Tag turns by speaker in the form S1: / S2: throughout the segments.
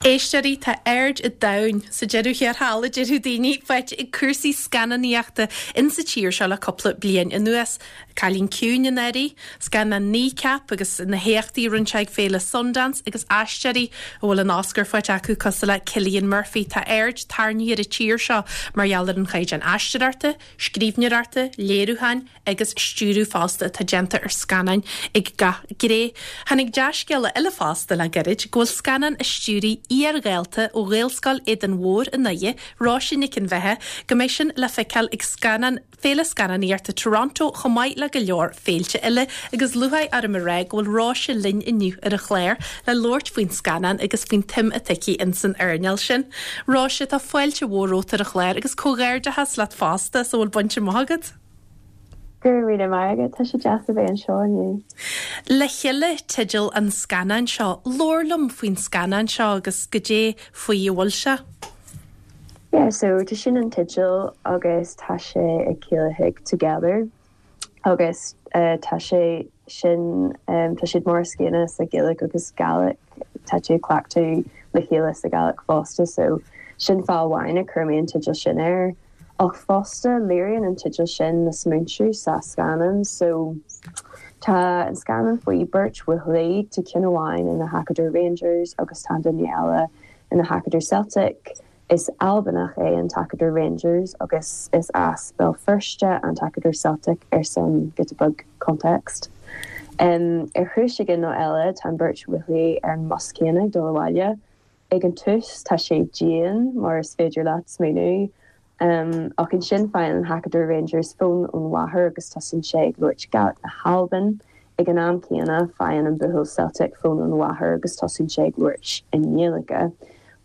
S1: Éisteoirí, tá aird an domhain, sa deireadh thiar thall, a déarfadh daoine, faighte ag cúrsaí scannánaíochta insa tír seo le cúpla bliain anuas. Cailín Ciúin anuraidh, scannán Kneecap agus na héachtaí a rinne sé ag féile Sundance agus aisteoirí a bhfuil an Oscar faighte acu cosúil le Cillian Murphy. Tá aird tarraingthe ar an tír seo mar gheall ar an chaighdeán aisteoireachta, scríbhneoireachta, léiriúcháin, agus stiúradh fosta atá déanta ar scannáin ag gach gné. Tháinig dea-scéala eile fosta le gairid go bhfuil scannán a stiúraigh iar-dhalta ó Ghaelscoil Éadain Mhóir i nDoire, Róise Nic an Bheatha, go mbeidh sin le feiceáil ag scannán Féile Scannánaíochta Toronto chomh maith le go leor féilte eile agus lúcháir orm a rá go bhfuil Róise linn inniu ar an chlár le labhairt faoin scannán agus faoin tsuim atá aici ins an earnáil sin. Róise, tá fáilte mhór romhat ar an chlár agus comhghairdeachas leat fosta as a bhfuil bainte amach agat.
S2: Go raibh míle maith agat, tá sé deas a bheith anseo inniu.
S1: Le Chéile teideal an scannáin seo. Labhair liom faoin scannán seo agus goidé faoi a bhfuil sé.
S2: Yeah, so tá sin an teideal agus tá sé ag ciallaíodh together agus tá sé sin, tá siad mar is céanna sa Ghaeilge agus Gaelic, tá tú ag cleachtadh le chéile sa Ghaelic fosta so sin fáth amháin a chuir mé an teideal sin air. Ach fosta, léiríonn an teideal sin na smaointiú sa scannán. So, tá an scannán faoi beirt bhuachaillí, tá ceann amháin ina thacadóir Rangers agus tá an duine eile ina thacadóir Celtic. Is Albanach é an tacadóir Rangers agus is as Béal Feirste an tacadóir Celtic ar son giota beag context. Ar chúis éigin nó eile, tá an beirt bhuachaillí ar an mbus céanna ag dul abhaile. Ag an tús tá sé dian, mar is féidir leat smaoineamh, ach ansin faigheann an tacadóir Rangers fón ón mháthair agus tosaíonn sé ag labhairt Gaelic na hAlban. Ag an am céanna faigheann an buachaill Celtic fón ón mháthair agus tosaíonn sé ag labhairt i nGaeilge.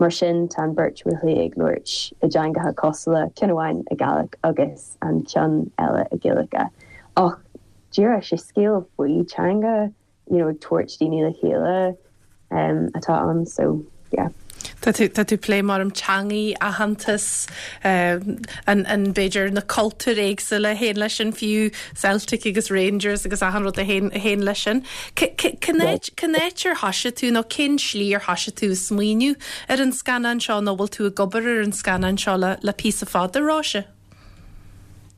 S2: Mar sin tá an beirt bhuachaillí ag labhairt i dteangacha cosúla, ceann amháin i Gaelic agus an ceann eile i Gaeilge. Ach díreach sé scéal faoi teanga. you know ag tabhairt daoine le chéile atá ann so yeah.
S1: Tá tú, tá tú ag plé mar teangaí, aitheantas, an, an, b'fhéidir na cultúir éagsúla a théann leis sin fiú, Celtic agus Rangers agus achan rud a théann, a théann leis sin. Cén áit, cén áit ar thoisigh tú nó cén slí ar thoisigh tú ag smaoineamh ar an scannán seo nó bhfuil tú ag obair ar an scannán seo le, le píosa fada, Róise?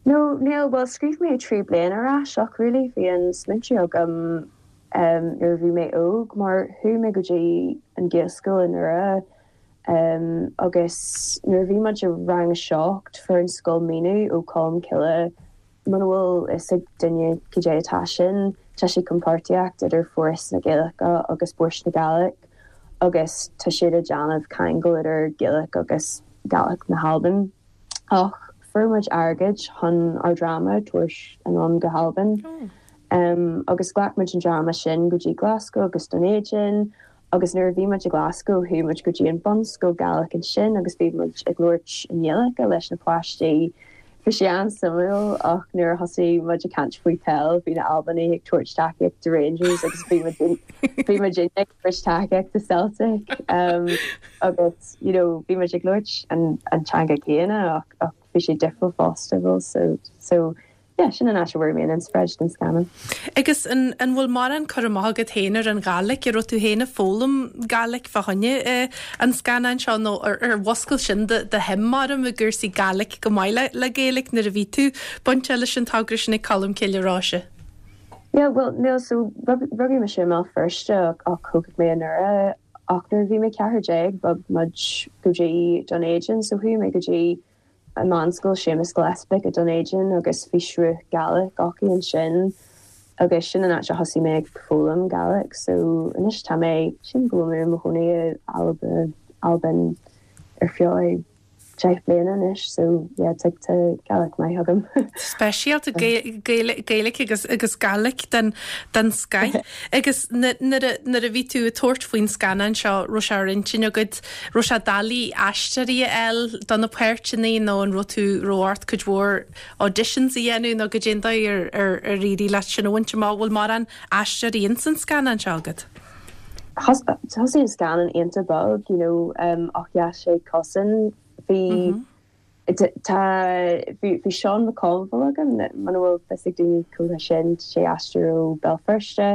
S2: No, níl, bhuel scríobh mé 3 bliana ar ais ach really bhí an smaointiú agam nuair a bhí mé óg mar chuaigh mé go dtí an Ghaelscoil i nDoire agus nuair a bhí muid i rang a 7 fuair an scoil maoiniú ó Colmcille muna bhfuil fhios ag duine cad é atá sin tá sé compháirtíocht idir Foras na Gaeilge agus Bòrd na Gàidhlig agus tá siad ag déanamh ceangal idir Gaeilge agus Gaelic na hAlban. Ach fuair muid airgead chun ár dráma a tabhairt anonn go hAlbain. Agus ghlac muid an dráma sin go dtí Glasgow agus Dún Éideann agus nuair a bhí muid i Glasgow chuaigh muid go dtí an bunscoil Gaelic ansin agus bhí muid ag labhairt i nGaeilge leis na páistí. Bhí sé an-suimiúil ach nuair a thosaigh muid ag caint faoi peil bhí na Albanaigh ag tabhairt tacaíocht do Rangers agus bhí muid bhí muidinne ag tabhairt tacaíocht do Celtic. Agus you know bhí muid ag labhairt an an teanga céanna ach ach bhí sé difriúil fosta bhfuil so so yeah sin an áit a bhfuair mé an inspioráid don scannán.
S1: Agus an an bhfuil mórán cur amach agat féin ar an Ghàidhlig? An raibh tú féin ag foghlaim Gàidhlig fá choinne an scannáin seo nó ar ar mhuscail sin do do shuim maram i gcúrsaí Gàidhlig chomh maith le le Gaeilge nuair a bhí tú bainteach leis an togra sin ag Colmcille, a Róise?
S2: Yeah bhuel níl so rugadh mise i mBéal Feirste ach ach thógadh mé i nDoire Ach nuair a bhí mé 14 bhog muid go dtí Dún Éideann so chuaigh mé go dtí an meánscoil Séamus Gillespick i Dún Éideann agus bhí sruth Gaelic acu ansin agus sin an áit a thosaigh mé ag foghlaim Gaelic so anois tá mé, sílim go bhfuil mé i mo chónaí i Alba, Albain ar feadh 10 bliana anois so yeah tá tá Gaelic maith agam.
S1: Speisialta Gaeilge agus agus Gàidhlig den den scoith. Agus nuair a nuair a bhí tú ag tabhairt faoin scannán seo raibh sé ar intinn agat raibh sé doiligh aisteoirí a fháil do na páirteanna nó an raibh tú raibh ort cuid mhór auditions a dhéanamh nó goidé an dóigh ar ar ar éirigh leat sin a bhaint amach bhfuil mórán aisteoirí ins an scannán seo agat?
S2: Thosaigh an scannán iontach bog, you know, ach sheas sé cosan. Bhí, tá, bhí, bhí Seán McConville agam, muna bhfuil fios ag daoine cé hé sin, sé aisteoir ó Béal Feirste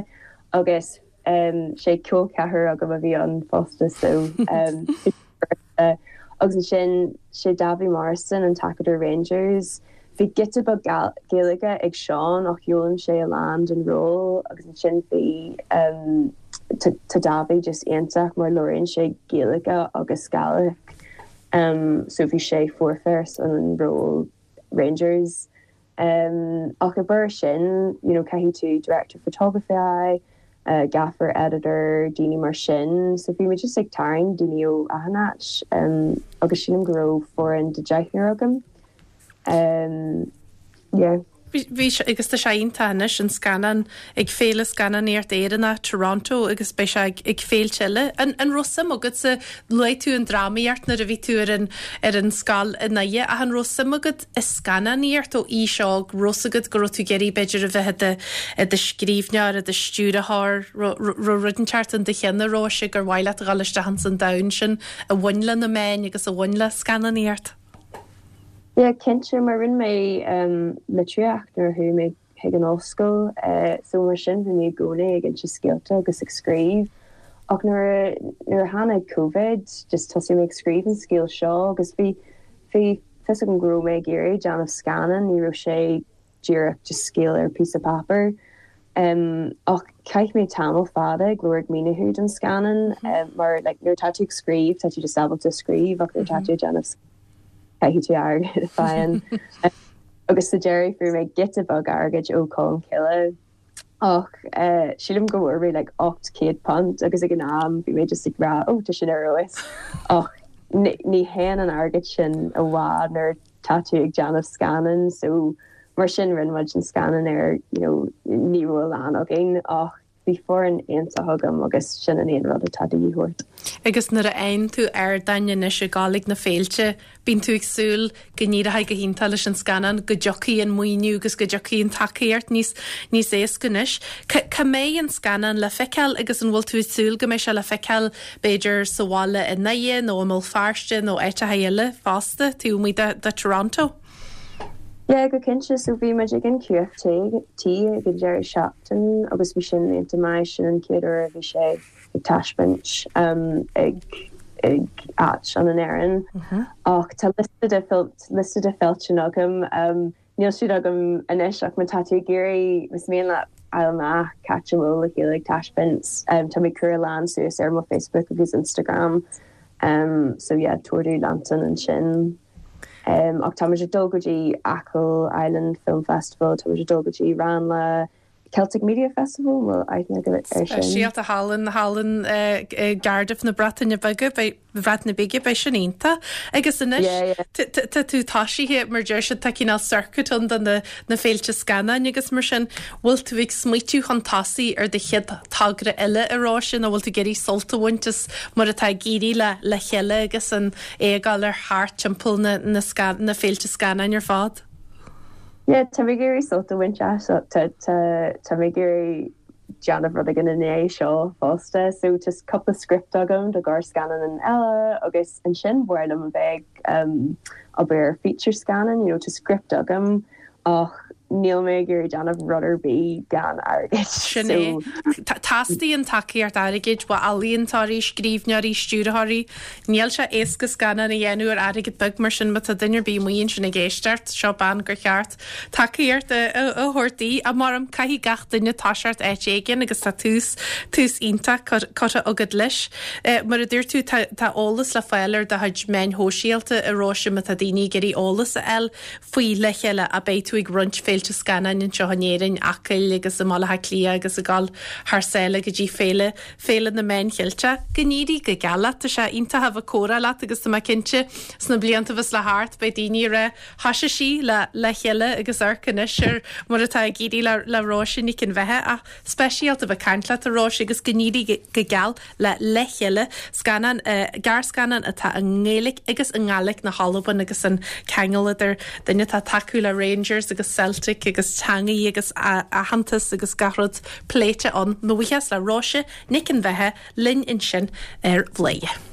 S2: agus. sé col ceathrar agam a bhí ann fosta so agus ansin sé Davy Morrison an t-acadóir Rangers. Bhí giota beag Gaeilge ag Seán ach d'fhoghlaim sé a lán don ról agus ansin bhí tá Davy just iontach mar labhraíonn sé Gaeilge agus Gaelic so bhí sé foirfe ar son an ról Rangers. Ach ag barr sin, you know, caithfidh tú director photography a fháil, gaffer, editor, daoine mar sin. So bhí muid just ag tarraingt daoine ó achan áit agus sílim go raibh foireann de deichniúr agam. Yeah.
S1: Bhí sé, agus tá sé iontach anois, an scannán ag Féile Scannánaíocht Éireannach Toronto agus beidh sé ag féilte eile. An raibh suim agatsa, luaigh tú an drámaíocht nuair a bhí tú ar an ar an scoil i nDoire, ach an raibh suim agat i scannánaíocht ó aois óg, raibh 's agat go raibh tú ag iarraidh b'fhéidir a bheith i do i do scríbhneoir, i do stiúrthóir, raibh rud inteacht in do cheann a Róise gur mhaith leat a dhul isteach ins an domhan sin a bhain le na meáin agus a bhain le scannánaíocht?
S2: Yeah, cinnte, mar rinne mé litríocht nuair a chuaigh mé chuig an ollscoil, so mar sin bhí mé i gcónaí ag inse scéalta agus ag scríobh. Ach nuair a, nuair a tháinig Covid, just thosaigh mé ag scríobh an scéal seo agus bhí, bhí fios agam go raibh mé ag iarraidh déanamh scannán, ní raibh sé díreach just scéal ar píosa páipéir. Ach chaith mé tamall fada ag lorg maoiniú don scannán mar like nuair atá tú ag scríobh tá tú just ábalta scríobh ach nuair atá tú ag déanamh caithfidh tú airgead a fháil. Agus sa deireadh fuair mé giota beag airgid ó Colmcille ach sílim go bhfuair mé like £800 agus ag an am bhí mé just ag rá oh tá sin ar fheabhas ach ní théann an airgead sin i bhfad nuair tá tú ag déanamh scannán so mar sin rinne muid an scannán ar you know ní raibh a lán againn ach bhí foireann iontach agam agus sin an aon rud atá de dhíth ort.
S1: Agus nuair a fhaigheann tú ardáin anois ag gabháil ag na féilte, bíonn tú ag súil go n-éireoidh go hiontach leis an scannán, go dtiocfaidh an maoiniú agus go dtiocfaidh an tacaíocht níos níos éasca anois. Cá mbeidh an scannán le feiceáil agus an bhfuil tú ag súil go mbeidh sé le feiceáil b'fhéidir sa bhaile i nDoire nó i mBéal Feirste nó áiteacha eile fosta, taobh amuigh de de Toronto?
S2: Yeah, go cinnte. So bhí muid ag an QFT ag an deireadh seachtain agus bhí sin iontach maith. Sin an chéad uair a bhí sé ag taispeáint ag ag áit ann in Éirinn. Ach tá liosta de liosta de féilte agam. Níl siad agam anois ach má tá tú ag iarraidh, más mian leat fháil amach cá háit a bhfuil Le Chéile ag taispeáint, tá mé ag cur a lán suas ar mo Facebook agus Instagram. So yeah, tabhair do leanúint ansin. Ach tá muid ag dul go dtí Achill Island Film Festival, tá muid ag dul go dtí Ranelagh Celtic Media Festival, an bhfuil aithne agat air sin?
S1: Speisialta thall in, thall in i gCardiff na Breataine Bige, beidh, Breataine Bige, beidh sin iontach. Agus anois,
S2: Yeah, yeah.
S1: tá tú tosaithe, mar deir siad, tá cineál circuit ann do na, na féilte scannáin agus mar sin, bhfuil tú ag smaoitiú chun tosaigh ar do chéad togra eile a Róise nó bhfuil tú ag iarraidh sult a bhaint as mar atá ag éirí le Le Chéile agus an é ag dul ar thart timpeall na na na féilte scannáin ar fad?
S2: Yeah, tá mé ag iarraidh sult a bhaint as. Tá tá tá mé ag iarraidh déanamh rud éigin i ndiaidh seo fosta. So tá cúpla script agam do ghearrscannán eile agus ansin ba mhaith liom a bheith ag um, obair ar feature scannán, you know, tá script agam ach níl mé ag iarraidh déanamh rud ar bith gan airgead.
S1: Sin é. Teastaíonn tacaíocht airgid ó ealaíontóirí, scríbhneoirí, stiúrthóirí. Níl sé éasca scannán a dhéanamh ar airgead beag mar sin má tá duine ar bith amuigh ansin ag éisteacht, seo bean gur cheart tacaíocht a thabhairt di. Ach maram, caithfidh gach duine toiseacht áit éigin agus tá tús, tús iontach curtha agat leis. Mar a dúirt tú, tá eolas le fáil ar do chuid meáin shóisialta, a Róise, má tá daoine ag iarraidh eolas a fháil faoi Le Chéile ach beidh tú ag roinnt féilte scannáin anseo in Éirinn, Acaill agus i mBaile Átha Cliath agus ag dul thar sáile go dtí féile, Féile na Meán Cheilteach. Go n-éirí go geal leat, tá sé iontach a bheith ag comhrá leat agus tá mé cinnte sna blianta a bheas le theacht beidh daoine ag rá thoisigh sí le Le Chéile agus amharc anois ar mar atá ag éirí le le Róise Nic an Bheatha ach speisialta a bheith ag caint leat a Róise agus go n-éirí go geal le Le Chéile, scannán, gearrscannán atá i nGaeilge agus i nGàidhlig na hAlban agus an ceangal idir duine atá ag tacú le Rangers agus Celtic agus teangaí agus aitheantas agus gach rud pléite ann. Mo bhuíochas le Róise Nic an Bheatha linn ansin ar Bhladhaire.